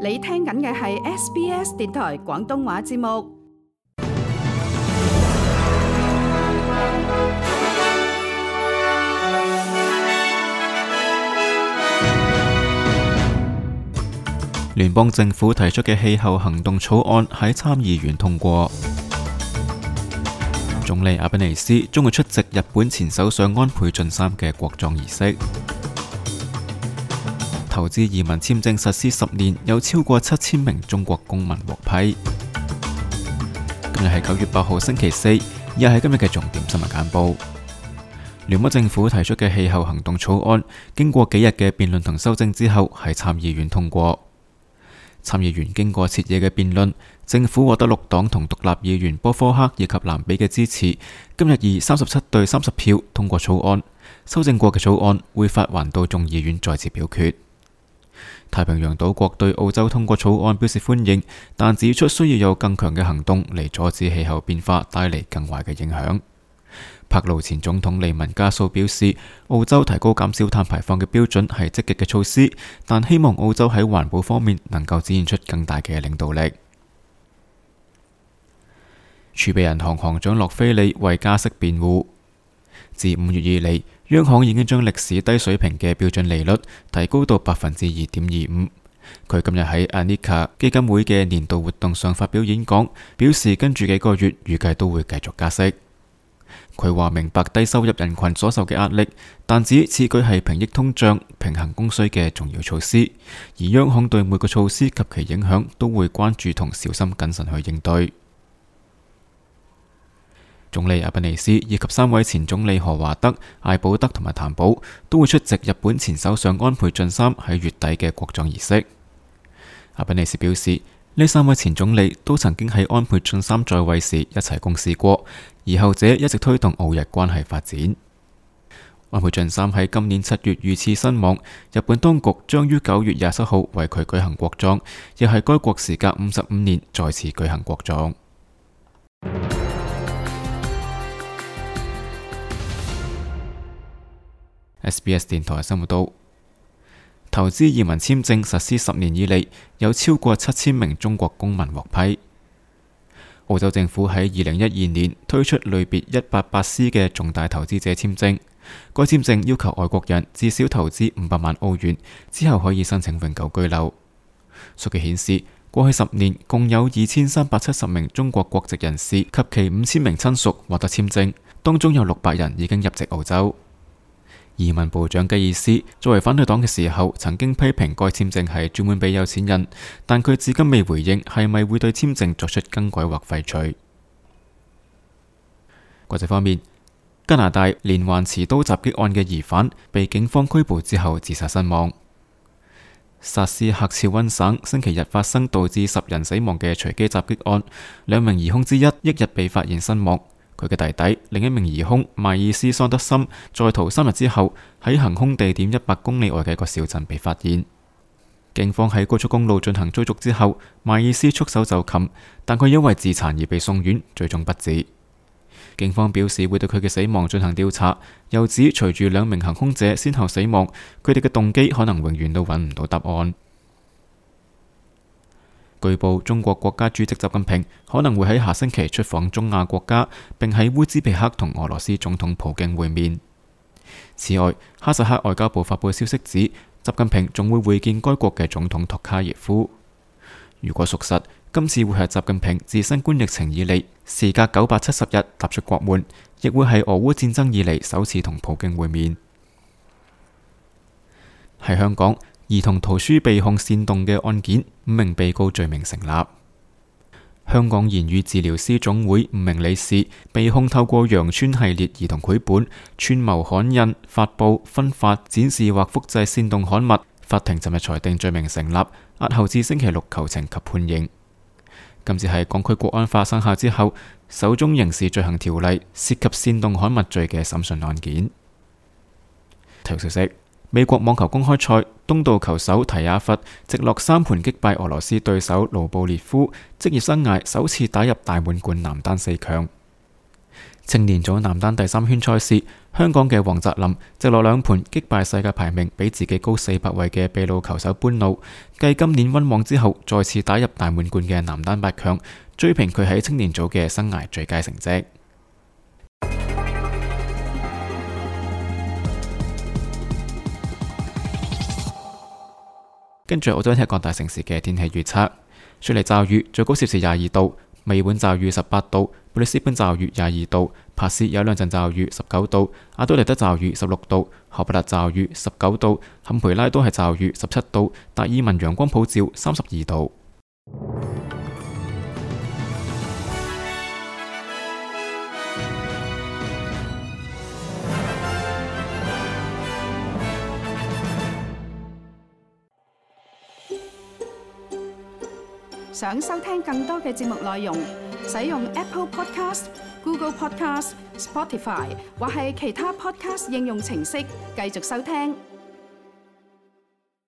你聽緊嘅係 SBS 電台廣東話節目。聯邦政府提出嘅氣候行動草案喺參議院通過。總理阿賓尼斯將會出席日本前首相安倍晉三嘅國葬儀式。投資移民簽證實施10年，有超過7000名中國公民獲批。今日係9月8號星期四，以下係今日嘅重點新聞簡報。聯邦政府提出嘅氣候行動草案，經過幾日嘅辯論同修正之後，喺參議院通過。參議員經過徹夜嘅辯論，政府獲得綠黨同獨立議員波科克以及藍比嘅支持，今日以37對30票通過草案。修正過嘅草案會發還到眾議院再次表決。太平洋島國對澳洲通過草案表示歡迎，但指出需要有更強嘅行動嚟阻止氣候變化帶嚟更壞嘅影響。帕勞前總統利文加素表示，澳洲提高減少碳排放嘅標準係積極嘅措施，但希望澳洲喺環保方面能夠展現出更大嘅領導力。儲備銀行行長洛菲利為加息辯護，自5月以嚟，央行已經將歷史低水平嘅標準利率提高到2.25%。佢今日喺 Anika 基金會嘅年度活動上發表演講，表示跟住幾個月預計都會繼續加息。佢話明白低收入人群所受嘅壓力，但指此舉係平抑通脹、平衡供需嘅重要措施，而央行對每個措施及其影響都會關注同小心謹慎去應對。總理阿賓尼斯以及3位前總理何華德、艾保德同埋譚寶都會出席日本前首相安倍晉三喺月底嘅國葬儀式。阿賓尼斯表示，呢3位前總理都曾經喺安倍晉三在位時一齊共事過，而後者一直推動澳日關係發展。安倍晉三喺今年7月遇刺身亡，日本當局將於9月27號為佢舉行國葬，亦係該國時隔55年再次舉行國葬。SBS 電台生活道，投資移民簽證實施10年以嚟，有超過7000名中國公民獲批。澳洲政府喺2012年推出類別 188C 嘅重大投資者簽證，該簽證要求外國人至少投資500萬澳元，之後可以申請永久居留。數據顯示，過去10年共有2370名中國國籍人士及其5000名親屬獲得簽證，當中有600人已經入籍澳洲。移民部長吉爾斯作為反對黨嘅時候，曾經批評該簽證係專門俾有錢人，但佢至今未回應係咪會對簽證作出更改或廢除。國際方面，加拿大連環持刀襲擊案嘅疑犯被警方拘捕之後自殺身亡。薩斯喀徹溫省星期日發生導致10人死亡嘅隨機襲擊案，2名疑兇之一翌日被發現身亡。佢嘅弟弟另一名疑兇邁爾斯桑德森在逃3日之後，喺行兇地點100公里外嘅一個小鎮被發現。警方喺高速公路進行追逐之後，邁爾斯束手就擒，但佢因為自殘而被送院，最終不治。警方表示會對佢嘅死亡進行調查，又指隨住2名行兇者先後死亡，佢哋嘅動機可能永遠都揾唔到答案。據報，中國國家主席習近平可能會喺下星期出訪中亞國家，並喺烏茲別克同俄羅斯總統普京會面。此外，哈薩克外交部發佈消息指，習近平仲會會見該國嘅總統托卡耶夫。如果屬實，今次會係習近平自新冠疫情以嚟時隔970日踏出國門，亦會係俄烏戰爭以嚟首次同普京會面。喺香港，兒童圖書被控煽動嘅案件，5名被告罪名成立。香港言語治療師總會5名理事被控透過羊村系列兒童繪本串謀刊印、發佈、分發、展示或複製煽動刊物。法庭尋日裁定罪名成立，押後至星期6求情及判刑。今次係港區國安法生效之後首宗刑事罪行條例涉及煽動刊物罪嘅審訊案件。體育消息：美國網球公開賽，東道球手提亞弗直落3盤擊敗俄羅斯對手盧布列夫，職業生涯首次打入大滿貫男單4強。青年組男單第3圈賽事，香港嘅黃澤林直落2盤擊敗世界排名比自己高400位嘅秘魯球手班奴，繼今年溫網之後，再次打入大滿貫嘅男單8強，追平佢喺青年組嘅生涯最佳成績。跟住澳洲各大城市嘅天氣預測：雪梨驟雨，最高攝氏22度；墨爾本驟雨18度；布里斯本驟雨22度；珀斯有2陣驟雨19度；阿德萊德驟雨16度；荷伯特驟雨19度；坎培拉都係驟雨17度；達爾文陽光普照32度。想收聽更多嘅節目內容，使用 Apple Podcast、Google Podcast、Spotify 或係其他 Podcast 應用程式繼續收聽。